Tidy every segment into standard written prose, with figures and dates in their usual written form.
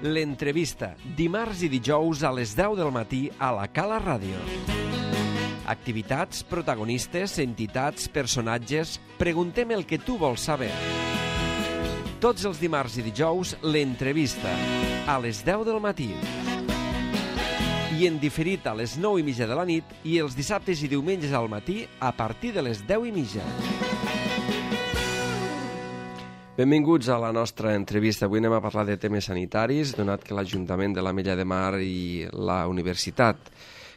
L'entrevista, dimarts i dijous a les 10 del matí a la Cala Ràdio. Activitats, protagonistes, entitats, personatges... Preguntem el que tu vols saber. Tots els dimarts i dijous, l'entrevista, a les 10 del matí. I en diferit a les 9:30 de la nit i els dissabtes i diumenges al matí a partir de les 10:30. Benvinguts a la nostra entrevista. Avui anem a parlar de temes sanitaris, donat que l'Ajuntament de l'Ametlla de Mar i la Universitat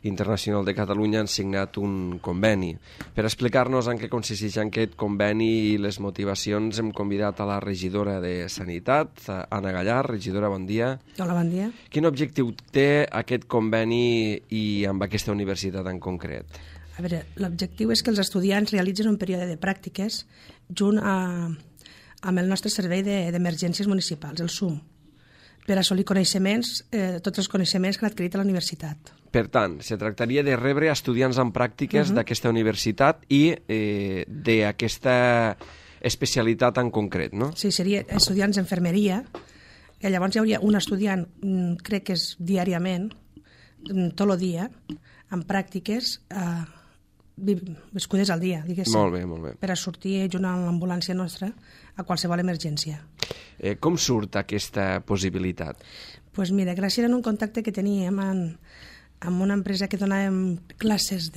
Internacional de Catalunya han signat un conveni. Per explicar-nos en què consisteix aquest conveni i les motivacions hem convidat a la regidora de Sanitat, Anna Gallar. Regidora, bon dia. Hola, bon dia. Quin objectiu té aquest conveni i amb aquesta universitat en concret? A veure, l'objectiu és que els estudiants realitzin un període de pràctiques junt amb el nostre servei d'emergències municipals, el SUM, per assolir coneixements, tots els coneixements que han adquirit a la universitat. Per tant, se tractaria de rebre estudiants en pràctiques d'aquesta universitat i d'aquesta especialitat en concret, no? Sí, seria estudiants d'enfermeria, i llavors hi hauria un estudiant, crec que és diàriament, tot el dia, en pràctiques viscudes al dia, diguéssim. Molt bé, molt bé. Per a sortir junt amb l'ambulància nostra a qualsevol emergència. Com surt aquesta possibilitat? Doncs mira, gràcies a un contacte que teníem amb una empresa que donàvem classes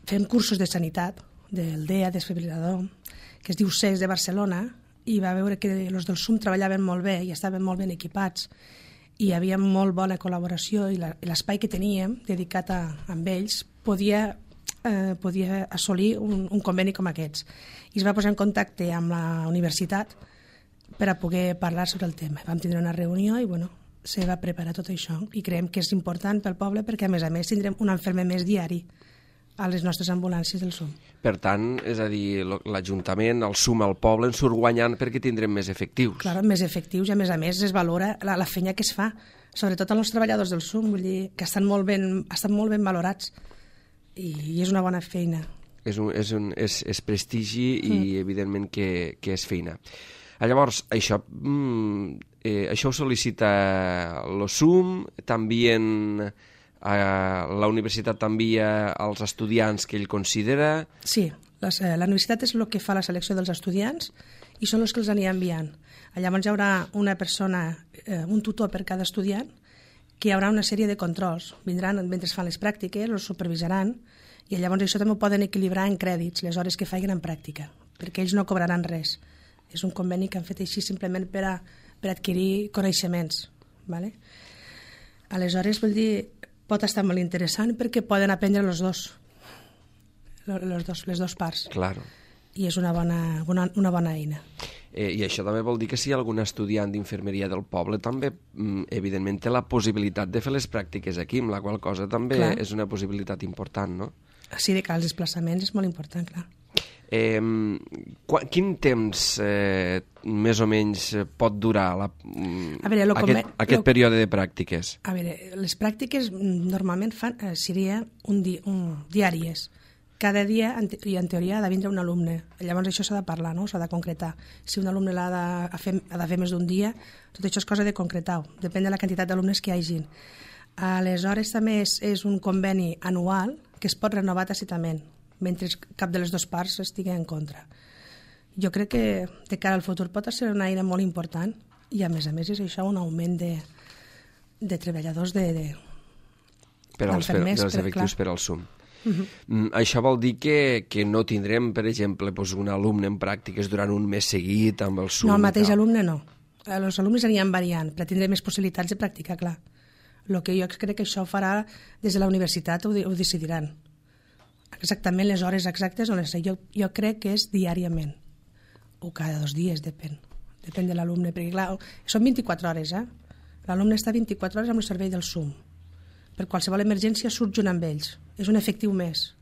fem cursos de sanitat, del DEA, desfibrilador, que es diu CES de Barcelona, i va veure que els del SUM treballaven molt bé i estaven molt ben equipats i hi havia molt bona col·laboració i l'espai que teníem dedicat amb ells podia assolir un conveni com aquests. I es va posar en contacte amb la universitat per a poder parlar sobre el tema. Vam tindre una reunió i se va preparar tot això i creiem que és important pel poble perquè a més tindrem un infermer més diari a les nostres ambulàncies del SUM. Per tant, és a dir, l'Ajuntament, el SUM, el poble, en surt guanyant perquè tindrem més efectius. Clar, més efectius i a més es valora la feina que es fa, sobretot als treballadors del SUM, vull dir que estan molt ben valorats i és una bona feina. És prestigi i evidentment que és feina. Llavors, això ho sol·licita el SUM, també la universitat t'envia als estudiants que ell considera... Sí, la universitat és el que fa la selecció dels estudiants i són els que els anirà enviant. Llavors hi haurà una persona, un tutor per cada estudiant, que hi haurà una sèrie de controls. Vindran mentre fan les pràctiques, els supervisaran, i llavors això també ho poden equilibrar en crèdits, les hores que facin en pràctica, perquè ells no cobraran res. És un conveni que han fet així simplement per adquirir coneixements. ¿Vale? Aleshores, vull dir, pot estar molt interessant perquè poden aprendre les dues parts. Claro. I és una bona eina. I això també vol dir que si hi ha algun estudiant d'infermeria del poble també, evidentment, té la possibilitat de fer les pràctiques aquí, amb la qual cosa també és una possibilitat important, no? Sí, de cara als desplaçaments és molt important, clar. Quin temps més o menys pot durar aquest període de pràctiques? A veure, les pràctiques normalment serien diàries. Cada dia, i en teoria, ha de vindre un alumne. Llavors això s'ha de parlar, no? S'ha de concretar. Si un alumne ha de fer més d'un dia, tot això és cosa de concretar-ho. Depèn de la quantitat d'alumnes que hi hagin. Aleshores també és un conveni anual que es pot renovar tàcitament, mentre cap de les dues parts estigui en contra. Jo crec que de cara al futur pot ser una eina molt important i a més és això un augment de treballadors dels efectius per al SUM. Això vol dir que no tindrem, per exemple, un alumne en pràctiques durant un mes seguit amb el SUM? No, el mateix alumne no. Els alumnes aniran variant, però tindrem més possibilitats de practicar, clar. El que jo crec que això ho farà des de la universitat, ho decidiran. Exactament les hores exactes no les sé. Jo crec que és diàriament o cada 2 dies, depèn de l'alumne, perquè clar, són 24 hores, l'alumne està 24 hores amb el servei del SUM. Per qualsevol emergència surt junt amb ells. És un efectiu més,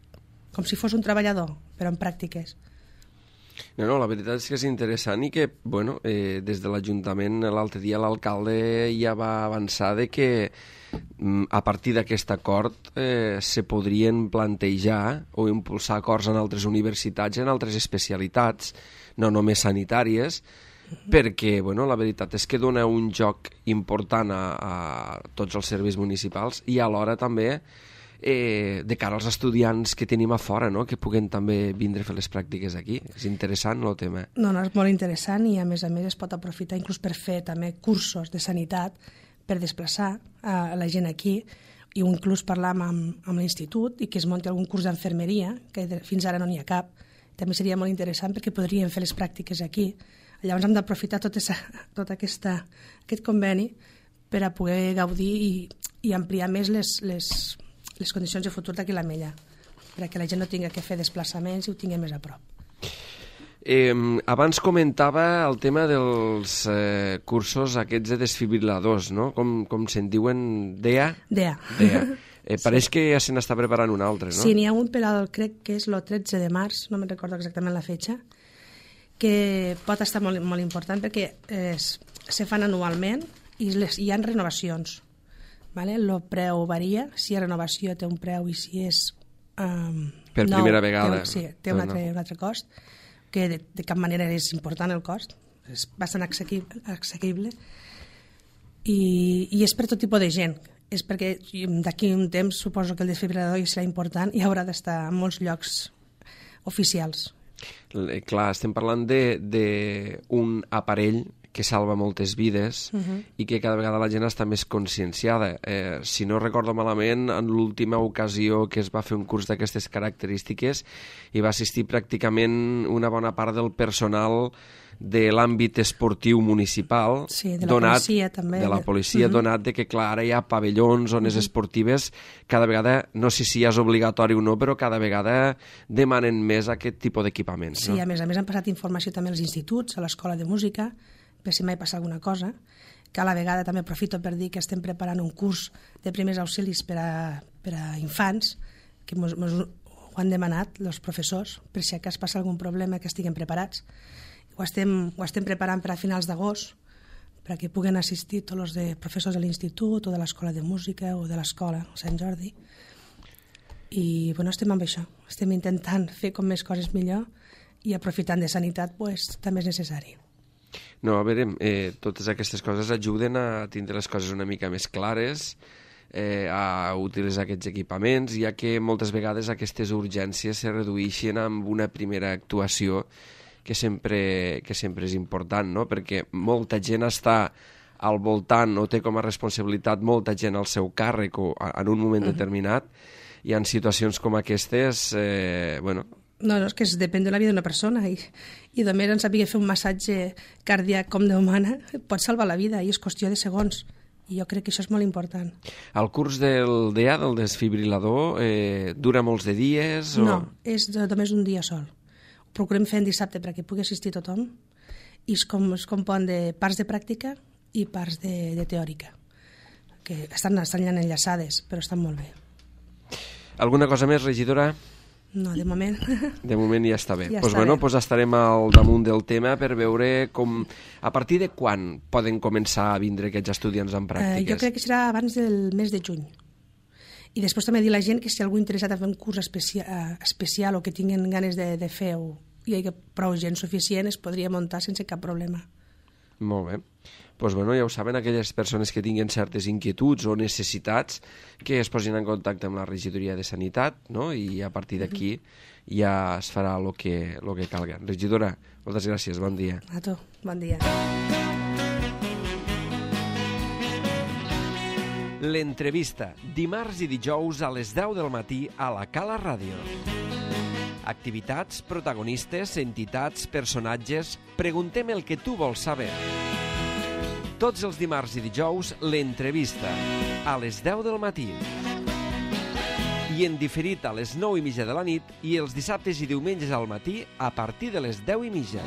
com si fos un treballador, però en pràctiques. No, la veritat és que és interessant i que, des de l'Ajuntament l'altre dia l'alcalde ja va avançar de que a partir d'aquest acord se podrien plantejar o impulsar acords en altres universitats, en altres especialitats, no només sanitàries, perquè, bueno, la veritat és que dona un joc important a tots els serveis municipals i alhora també de cara als estudiants que tenim a fora, no? Que puguen també vindre a fer les pràctiques aquí. És interessant el tema. No, és molt interessant i a més es pot aprofitar inclús per fer també cursos de sanitat per desplaçar a la gent aquí i inclús parlar amb l'institut i que es munti algun curs d'enfermeria, que fins ara no n'hi ha cap. També seria molt interessant perquè podríem fer les pràctiques aquí. Llavors hem d'aprofitar tot aquest conveni per a poder gaudir i ampliar més les condicions de futur d'aquí la Mella, perquè la gent no tingui que fer desplaçaments i ho tingui més a prop. Abans comentava el tema dels cursos aquests de desfibriladors, no? Com se'n diuen? DEA? DEA. Pareix que ja se n'està preparant un altre, no? Sí, n'hi ha un per crec que és el 13 de març, no me'n recordo exactament la fetge, que pot estar molt, molt important perquè se fan anualment i hi ha renovacions. Vale? El preu varia, si hi ha renovació té un preu i si és per primera vegada té un altre cost, que de cap manera és important el cost, és bastant assequible i és per tot tipus de gent, és perquè d'aquí un temps suposo que el desfibrilador serà important i haurà d'estar en molts llocs oficials. Clar, estem parlant d'un aparell que salva moltes vides i que cada vegada la gent està més conscienciada. Si no recordo malament, en l'última ocasió que es va fer un curs d'aquestes característiques hi va assistir pràcticament una bona part del personal de l'àmbit esportiu municipal, sí, de la policia també. De la policia, donat que, clar, ara hi ha pavellons, zones esportives, cada vegada, no sé si és obligatori o no, però cada vegada demanen més aquest tipus d'equipaments. Sí, a més han passat informació també als instituts, a l'escola de música, per si mai passa alguna cosa, que a la vegada també aprofito per dir que estem preparant un curs de primers auxilis per a infants, que ho han demanat els professors, per si acas passa algun problema que estiguem preparats. Ho estem preparant per a finals d'agost, perquè puguen assistir tots els professors de l'institut o de l'escola de música o de l'escola Sant Jordi. I bueno, estem amb això, estem intentant fer com més coses millor i aprofitant de sanitat també és necessari. No, a veure, totes aquestes coses ajuden a tindre les coses una mica més clares, a utilitzar aquests equipaments, ja que moltes vegades aquestes urgències se redueixen amb una primera actuació que sempre és important, no? Perquè molta gent està al voltant o té com a responsabilitat molta gent al seu càrrec o en un moment determinat i en situacions com aquestes, bueno... No, és que depèn de la vida d'una persona i només en saber fer un massatge cardíac com Déu mana pot salvar la vida i és qüestió de segons i jo crec que això és molt important. El curs del DEA, del desfibrilador, dura molts de dies? No, és només un dia sol. Ho procurem fer en dissabte perquè pugui assistir tothom i es compon de parts de pràctica i parts de teòrica que estan enllaçades però estan molt bé. Alguna cosa més, regidora? No, de moment. De moment ja està bé. Ja doncs estarem al damunt del tema per veure a partir de quan poden començar a vindre aquests estudiants en pràctiques. Jo crec que serà abans del mes de juny. I després també dir a la gent que si algú interessat a fer un curs especial o que tinguin ganes de fer o hi ha prou gent suficient es podria muntar sense cap problema. Molt bé. Doncs ja ho saben, aquelles persones que tinguin certes inquietuds o necessitats que es posin en contacte amb la regidoria de Sanitat, no? I a partir d'aquí ja es farà el que calga. Regidora, moltes gràcies, bon dia. A tu, bon dia. L'entrevista, dimarts i dijous a les 10 del matí a la Cala Ràdio. Activitats, protagonistes, entitats, personatges... Preguntem el que tu vols saber. Tots els dimarts i dijous, l'entrevista, a les 10 del matí. I en diferit a les 9:30 de la nit i els dissabtes i diumenges al matí a partir de les 10:30.